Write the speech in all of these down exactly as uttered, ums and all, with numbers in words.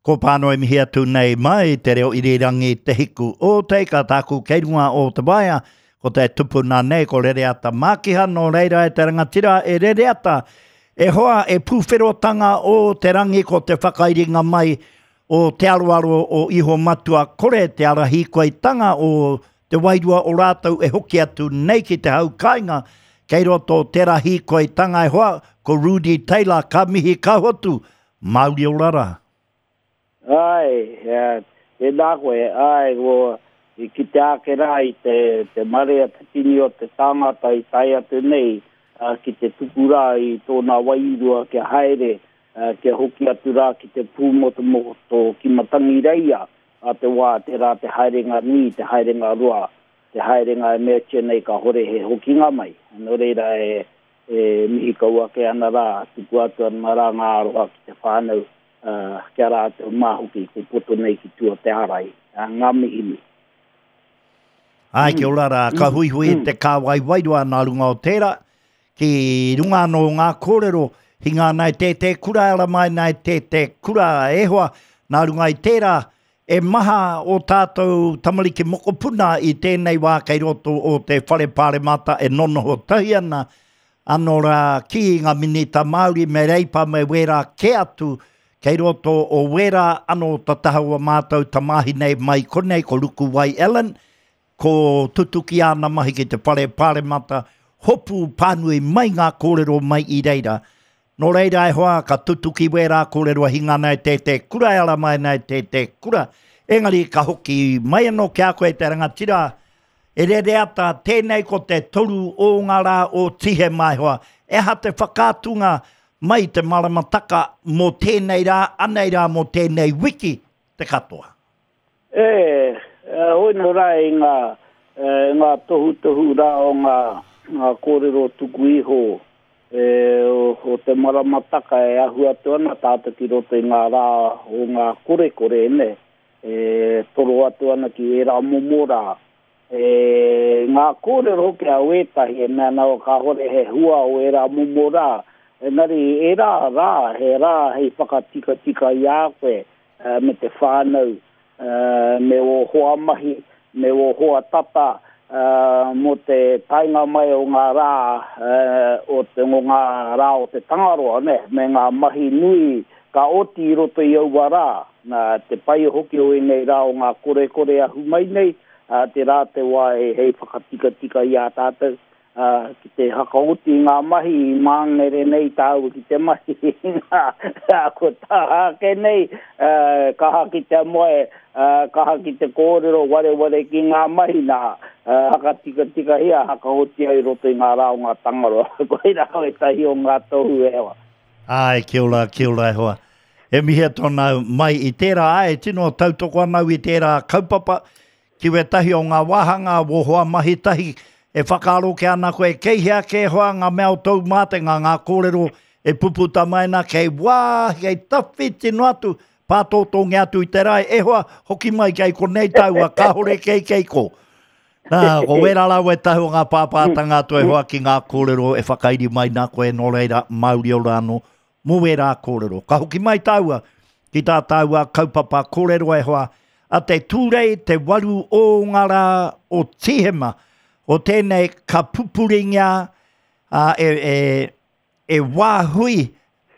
Ko pānoi mihi atu nei mai te reo irirangi te hiku o te ika tāku kei runga o te waea. Ko te tupuna nei ko Rereata Mākiha, nō reira e te rangatira e Rereata. E hoa e pūwherotanga o te rangi ko te whakairinga mai o te aroaro o Iho Matua kore te ara hīkoitanga o te wairua o rātou e hoki atu nei ki te hau kāinga. Kei roto tērā hīkoitanga e hoa ko Rudy Taylor ka mihi ka hotu. Mauri ora rā. Ai, tēnā koe, ai, ko i kite ake rā i te, te marea te tini o te tāngata i tae atu nei uh, ki te tuku rā i tōna wairua kia haere, uh, kia hoki atu rā ki te pūmotomoto ki Matangireia a te wā, te rā te haerenga nui, te haerenga roa, te haerenga e meatia nei ka hore he hokinga mai. Nō reira e, e mihi kau ake ana rā, tuku atu ana rā ngā aroha ki te whānau, Uh, kia rātou māhoki ko poto nei ki tua te arai, uh, ngā mihi. Ai, kia ora rā, ka huihui mm. te kāwai wairua nā runga o tērā, ki runga anō ngā kōrero, hinga nei tē tē kura, ara mai nei tē tē kura e hoa, nā runga i tērā, e maha o tātou tamariki mokopuna i tēnei wā kei roto o te whare pāremata e nonoho tahi ana, anō rā ki ngā minita Māori me Reipa me wērā ke atu, kei roto o wērā anō tataha o mātou tamāhine mai konei ko Rukuwai Ellen, ko tutuki āna mahi ki te whare pāremata, hopu pānui mai ngā kōrero mai i reira. Nō reira e hoa, ka tutuki wērā kōrero hinga nei te te kura, e ara mai nei te te kura. Engari ka hoki mai anō ki a koe te rangatira, e Rereata tēnei ko te toru o ngā rā o Tihema e hoa. E aha te whakaatunga mai te maramataka mō tēnei rā, anei rā mō tēnei wiki te katoa. E, hoi nō rā i ngā, e, ngā tohutohu rā o ngā, ngā kōrero tuku iho e, o, o te maramataka e ahu atu ana tātou ki roto i ngā rā o ngā korekore, ne? E, toro atu ana ki ērā momo rā. E, ngā kōrero hoki a wētahi e mea ana o kāhore he hua o ērā momo rā. Engari ērā rā, he rā hei whakatikatika i a koe uh, me te whānau, uh, me o hoa mahi, me o hoa tata, uh, mō te taenga mai o ngā rā, uh, o, te, o ngā rā o te tangaroa, ne? Me ngā mahi nui ka oti i roto i aua rā. Nā, te pai hoki o ēnei rā o ngā korekore ahu mai nei, uh, te rā te wā e hei whakatikatika i a tātou. Uh, ki te hakaoti i ngā mahi i māngere nei tāua ki te mahi ngā ko taha ake nei, uh, kaha ki te moe, uh, kaha ki te kōrero wareware ki ngā mahi nā, uh, hakatikatikahia, hakaoti ai roto i ngā rā o ngā tangaroa. Koirā ētahi o ngā tohu e hoa. Ai, kia ora, kia ora e hoa. E mihi atu ana mai i tērā, ai, tino tautoko ana au i tērā kaupapa, ki wētahi o ngā wāhanga, wō hoa mahi tahi, e whakaaro ke ana koe, kei hea ke hoa ngā mea o tōu mātenga, ngā kōrero e puputa mai na, kei wā, kei tawhiti noa atu, pātōtōngia atu i te rae, e hoa, hoki mai kei konei taua, kāhore kei kei ko. Nā, ko wērā rā wētahi o ngā pāpātanga atu e hoa ki ngā kōrero e whakairi mai nā koe, nō reira, mauri ora anō, mō wērā kōrero. Ka hoki mai tāua ki tā tāua kaupapa kōrero e hoa, a te Tūrei te waru o ngā rā o Tihema, o tēnei ka pupuringia uh, e, e, e wāhui,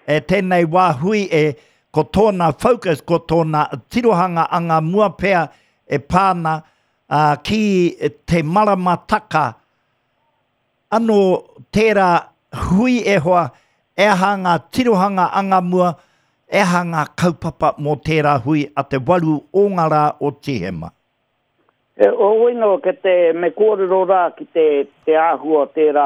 e tēnei wāhui e ko tōna focus, ko tōna tirohanga anga mua pea e pāna uh, ki te maramataka. Anō tērā hui e hoa, e aha ngā tirohanga anga mua, e aha ngā kaupapa mō tērā hui a te waru o ngā rā o Tihema. E, o wino, ke te me kōrero rā ki te, te āhua tērā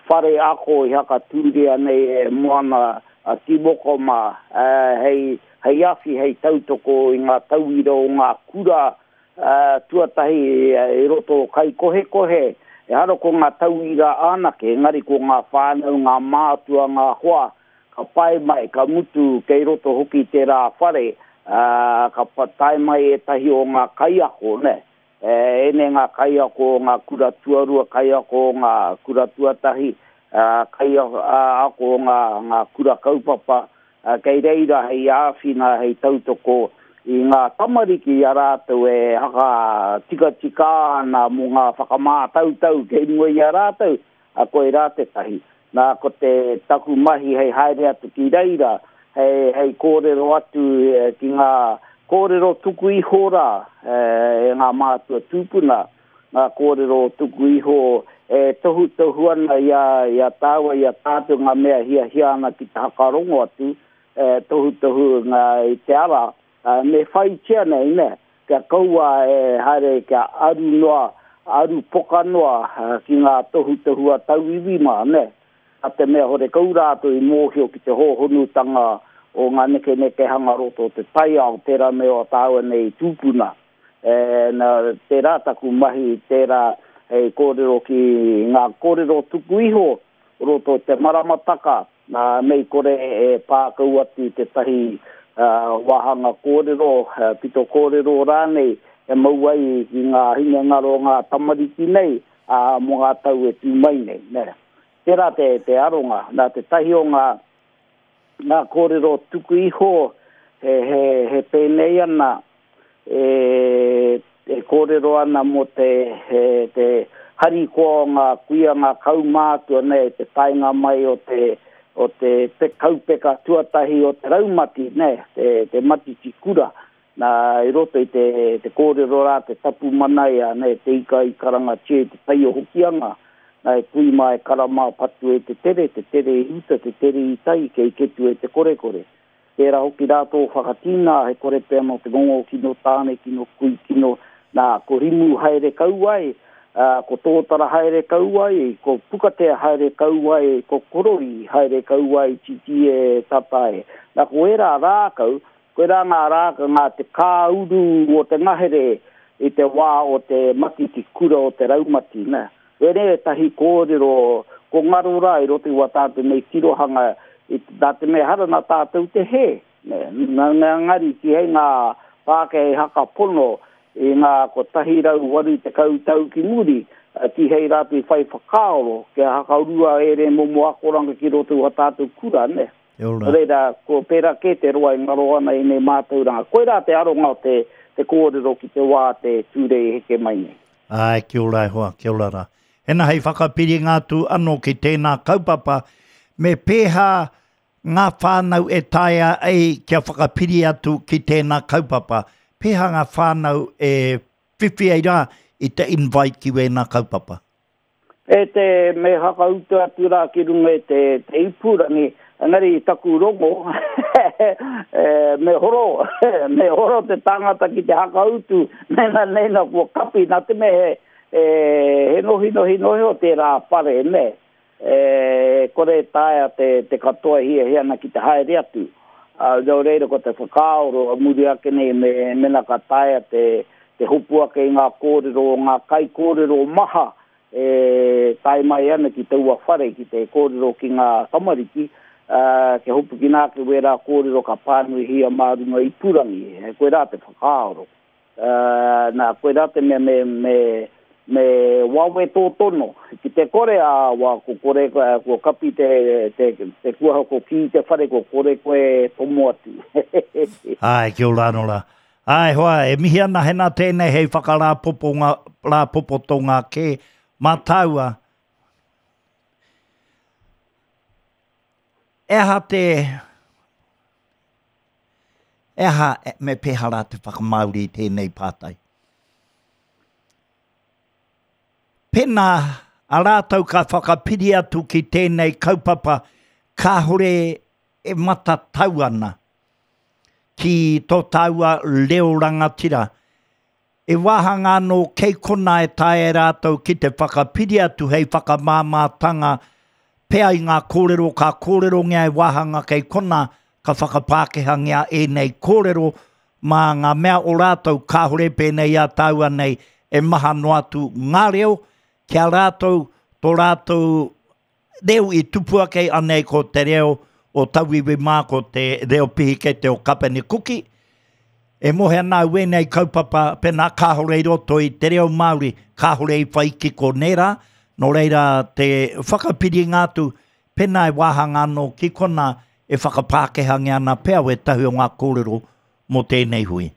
whare ako i hakatūria nei e Moana a Timoko mā, uh, hei, hei awhi, hei tautoko i ngā tauira o ngā kura uh, tuatahi i roto o Kaikohekohe. E hara ko ngā tauira anake, engari ko ngā whānau, ngā mātua, ngā hoa, ka pae mai, ka mutu kei roto hoki tērā whare, uh, ka tae mai ētahi o ngā kaiako, ne? E, ene ngā kaiako, ngā kura tuarua, kaiako, ngā kura tuatahi, uh, kaiako, ngā, ngā kura kaupapa, Kei reira hei āwhina, hei tautoko i ngā tamariki a rātou e haka tikatika ana mō ngā whakamātautau kei mua i a rātou, a koe rā tētahi. Nā, ko te taku mahi hei haere atu ki reira, hei, hei kōrero atu ki ngā kōrero tuku iho rā, e ngā mātua tūpuna, ngā kōrero tuku iho e tohu tohu ana i a, i a tāua, i a tātou ngā mea hiahia ana ki te hakarongo atu, e tohu tohu ngā i te ara, me whaitia nei, ne, kia kaua e haere kia aru noa, aru poka noa ki ngā tohu tohu a tauiwi mā, ne. A te mea hore kau rātou i mōhio ki te hōhonutanga o ngā neke neke hanga roto o te taiao, tērā me o tāua nei tūpuna. E, na, tērā taku mahi, tērā hei kōrero ki ngā kōrero tuku iho roto te maramataka, nā mei kore e pākau atu tētahi uh, wāhanga kōrero, uh, pito kōrero rānei, e mau ai ki ngā hinengaro ngā tamariki nei, uh, mō ngā tau e tū mai nei. Ne. Tērā te, te aronga, nā te tahi o ngā, ngā kōrero tuku iho he, he, he pēnei ana, e, e kōrero ana mō te, he, te harikoa o ngā kuia ngā kaumātua nei, te taenga mai o te, o te pe, kaupeka tuatahi o te raumati, ne, te, te matiti kura. Nā, i roto i te, te kōrero rā, te tapu manaia, ne, te ika i karangatia i te tai o Hokianga, nā e kui mā e karama patu e te tere, te tere i uta, te tere i tai, kei ketu e te korekore. Tērā hoki rā tō whakatina, he kore pea no te ngongo kino tāne, kino kui, kino, nā, ko rimu haere kauai, uh, ko tōtara haere kauai, ko pukatea haere kauai, ko korori haere kauai, titi e tatae. Nā, ko era rākau, ko era ngā rākau ngā te kāuru o te ngahere i te wā o te matiti kura o te raumati, nā. Were e tahi kōrero, ko ngaro rā i roto i wā tātou nei tirohanga, i nā te mea hara nā tātou te he. Nā, nā ngari ki hei ngā Pākehā haka pono i ngā kotahi rau waru tekau tau ki muri, ki hei rātou i whai whakaaro, kia hakaurua ere momo akoranga ki roto i wā tātou kura, ne. Reira, ko pērā kē te roa i ngaro ana i nei mātauranga. Koirā te aronga o te, te kōrero ki te wā te tūrei heke mai nei. Ai, kia ora e hoa, kia ora rā. Hena hei whakapiringa atu anō ki tēnā kaupapa, me pēhā ngā whānau e taea ai kia whakapiri atu ki tēnā kaupapa. Pēhā ngā whānau e whiwhi ai rā i te invite ki wēnā kaupapa? E te me hakautu atu rā ki runga i te, te ipurangi, engari i taku rongo, e, me horo, me horo te tangata ki te hakautu, nena nena kua kapi, nā te me he, e, he nohi nohi nohi o tērā whare, ne. E, kore taea te, te katoa hia hia ana ki te haere atu. Uh, nō reira ko te whakaaro a muri ake nei me, mena ka taea te, te hopu ake i ngā kōrero, ngā kai kōrero maha e tae mai ana ki taua whare, ki te kōrero ki ngā tamariki, uh, ke hopu ki nā ke wērā kōrero ka pānuihia mā runga ipurangi. E, koe rā te whakaaro. Uh, nā, koe rā te mea me, me, me wawe tō tono. Ki te kore a wā, ko kore, ko kapi te, te, te kuaha, ko ki te whare, ko kore koe tomo atu. Ai, kia ora anō rā. Ai, hoa, e mihi ana hena tēnei hei whakarāpopo rāpopotonga kē mā tāua. E aha te... E aha me pēhā rā te whakamāori i tēnei pātai? Pēnā a rātou ka whakapiri atu ki tēnei kaupapa kāhore e matatau ana ki tō tāua reo rangatira. E wāhanga anō kei kona e taea rātou ki te whakapiri atu hei whakamāmātanga pea i ngā kōrero ka kōrerongia e wāhanga kei kona ka whakapākehangia ēnei kōrero mā ngā mea o rātou kāhore pēnei a tāua nei e maha noa atu ngā reo kia rātou tō rātou reo i tupu ake anei ko te reo o tauiwi mā ko te reo pihikete o Kapene Kuki. E mohe ana au ēnei kaupapa pēnā kāhore i roto i te reo Māori, kāhore i whai kiko nērā, nō reira te whakapiringa atu pēnā e wāhanga anō ki kona e whakapākehangia ana pea wētahi o ngā kōrero mō tēnei hui.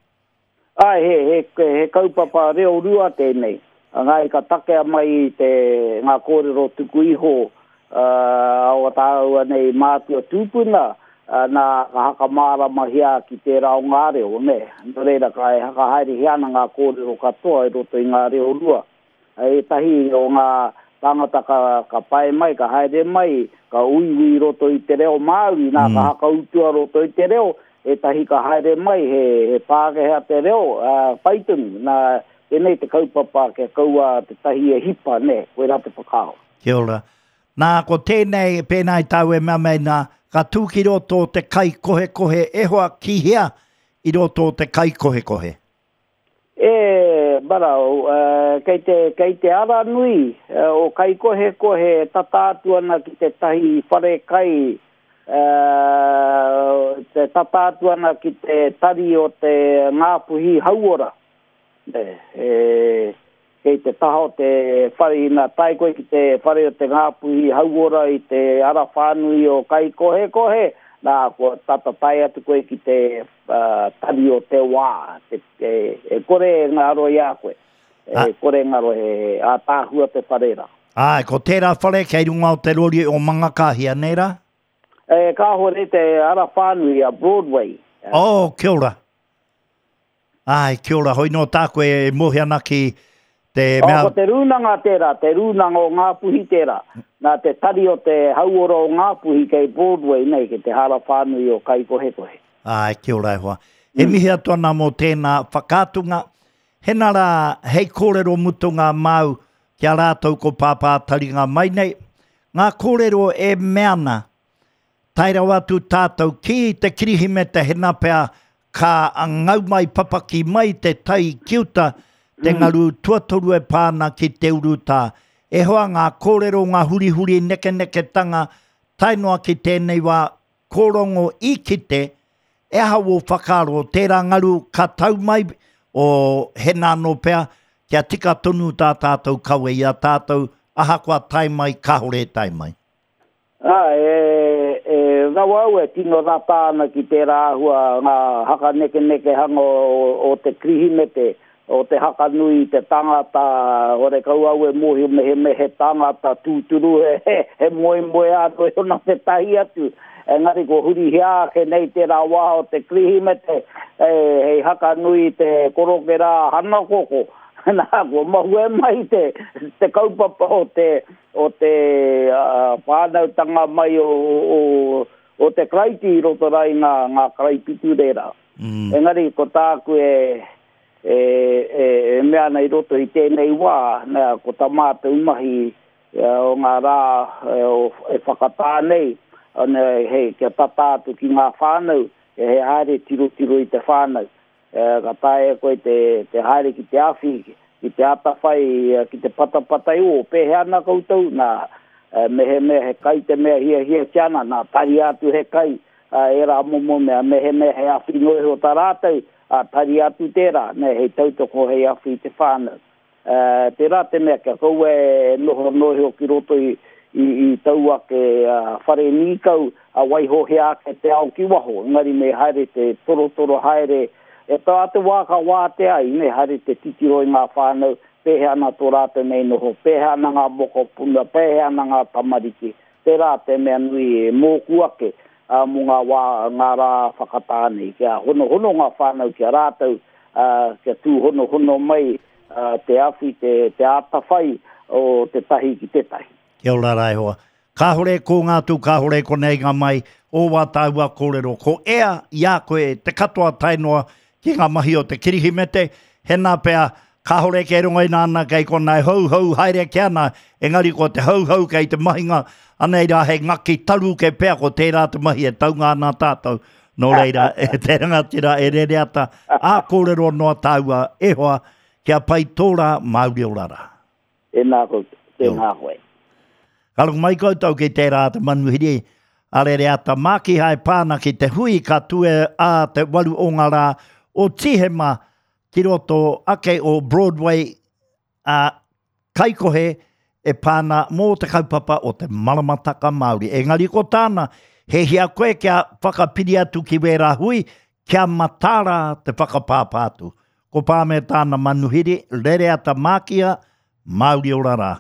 Ai, he, he, he kaupapa reo rua tēnei. Ngai ka takea mai te ngā kōrero tuku iho uh, o tāua nei mātua tūpuna, uh, nā ka hakamāramahia ki tērā o ngā reo, ne. Nō reira ka e hakahaerehia ana ngā kōrero katoa i roto i ngā reo rua. Ētahi o ngā tāngata ka, ka pae mai, ka haere mai, ka uiui i roto i te reo Māori, nā mm. ka hakautua roto i te reo, ētahi ka haere mai, he, he Pākehā te reo, uh, pai tonu, nā tēnei te kaupapa kia kaua te tahi e hipa, ne, koe rā te whakaaro. Kia ora. Nā, ko tēnei, pēnā i tāu e mea mei nā, ka tū ki roto o te kai kohekohe, e hoa ki hea i roto o te kai kohekohe? E, marau, uh, kei te, kei te ara nui uh, o kai kohekohe tata atu ana ki te tahi whare kai, uh, te tata atu ana ki te tari o te Ngāpuhi Hauora. E, e, kei te taha o te whare ina tae koe ki te whare o te Ngāpuhi Hauora i te ara whānui o kai kohekohe, nā, kua tata tae atu koe ki te uh, tari o te wā, te, e, e kore ngaro i a koe. E ah. kore ngaro he ātaahua te whare rā. Ai, ko tērā whare kei runga o te rori o Mangakāhia, nei rā? E, kāhore te ara whānui a Broadway. Oh, kia ora. Ai, kia ora, hoi nō tā koe e mohi ana ki te mea... Oh, ko te rūnanga tērā, te rūnanga o Ngāpuhi tērā. Nā te tari o te hauora o Ngāpuhi kei Broadway nei, ki te hara whānui o Kaikohekohe. Ai, kia ora e hoa. E mihi atu ana mō tēnā whakaatunga. Hena rā, hei kōrero mutunga māu ki a rātou ko Pāpā Taringa mai nei. Ngā kōrero e mea ana, tae rawa atu tātou ki te Kirihimete hena pea ka ngau mai papaki mai te tai ki uta, te ngaru tuatoru e pāna ki te urutā. E hoa ngā kōrero, ngā hurihuri nekeneketanga, tae noa ki tēnei wā kōrongo i kite, e aha wō whakaaro, tērā ngaru ka tau mai o hena anō pea, kia tika tonu tā tātou kawe i a tātou, ahakoa tae mai, kāhore e tae mai. Ah, e, e rawa au e tino rata ana ki tērā āhua ngā hakanekenekehanga o, o te Kirihimete, o te hakanui te tangata, hore kau au e mōhio me he me he tangata tūturu, he, he, he moe moe āno e ona te tahi atu. Engari ko hurihia ake nei tērā wā o te Kirihimete, e, hei hakanui te korokera hanakoko. Nā, kua mahue mai te, te kaupapa o te, o te uh, whānautanga mai o, o, o te Karaiti i roto rā i ngā, ngā karaipiture rā. Mm. Engari ko tāku e, e, e, e mea ana i roto i tēnei wā, nā, ko tā mātou mahi e, o ngā rā e, o, e whakatā nei, ana, hei, kia tata atu ki ngā whānau, e he haere tirotiro i te whānau. E, ka taea koe te, te haere ki te awhi, ki te atawhai, ki te patapatai o, pēhea ana koutou, nā, e, mehemea he kai te mea hiahiatia ana, nā, tari atu he kai, a, e rā momo mea, mehemea he awhi noa iho tā rātou, a, tari atu tērā, ne, hei tautoko hei awhi i te whānau. E, tērā te mea kia kaua e noho noa iho ki roto i, i, i tau ake uh, whare nīkau, a waihohea ake te ao ki waho, engari me haere te torotoro haere, e tā te wā ka wātea ai, me haere te titiro i ngā whānau, pēhea ana tō rātou nei noho, pēhea ana ngā mokopuna, pēhea ana ngā tamariki. Tērā te mea nui e mōku ake uh, mō ngā wā, ngā rā whakatā nei, kia honohono ngā whānau kia rātou, uh, kia tūhonohono mai uh, te awhi, te, te ātawhai o te tahi ki te tahi. Kia ora rā e hoa. Kāhore ko ngā tū, kāhore ko nei ngā mai, o wā tāua kōrero. Ko ea i a koe te katoa tae noa ki ngā mahi o te Kirihimete, hena pea, kāhore kei runga i nāna kei konei hou hou haere ki ana, engari ko te hou hou kei te mahinga, anei rā hei ngaki taru kei pea ko tērā te mahi e taunga ana tātou. Nō reira, e te rangatira e Rereata, ā kōrero noa tāua e hoa, kia pai tō rā Māori ora rā. Tēnā koutou, tēnā koe. Ka rongo mai koutou ki tērā te manuhiri a Rereata Mākiha e pāna ki te hui ka tue a te waru o ngā rā o Tīhema ki roto ake o Broadway a Kaikohe e pāna mō te kaupapa o te maramataka Māori. Engari ko tāna, He hia koe kia whakapiri atu ki wērā hui, kia mataara te whakapāpā atu. Ko Pā me tāna manuhiri, rere ata mākia, Māori ora rā.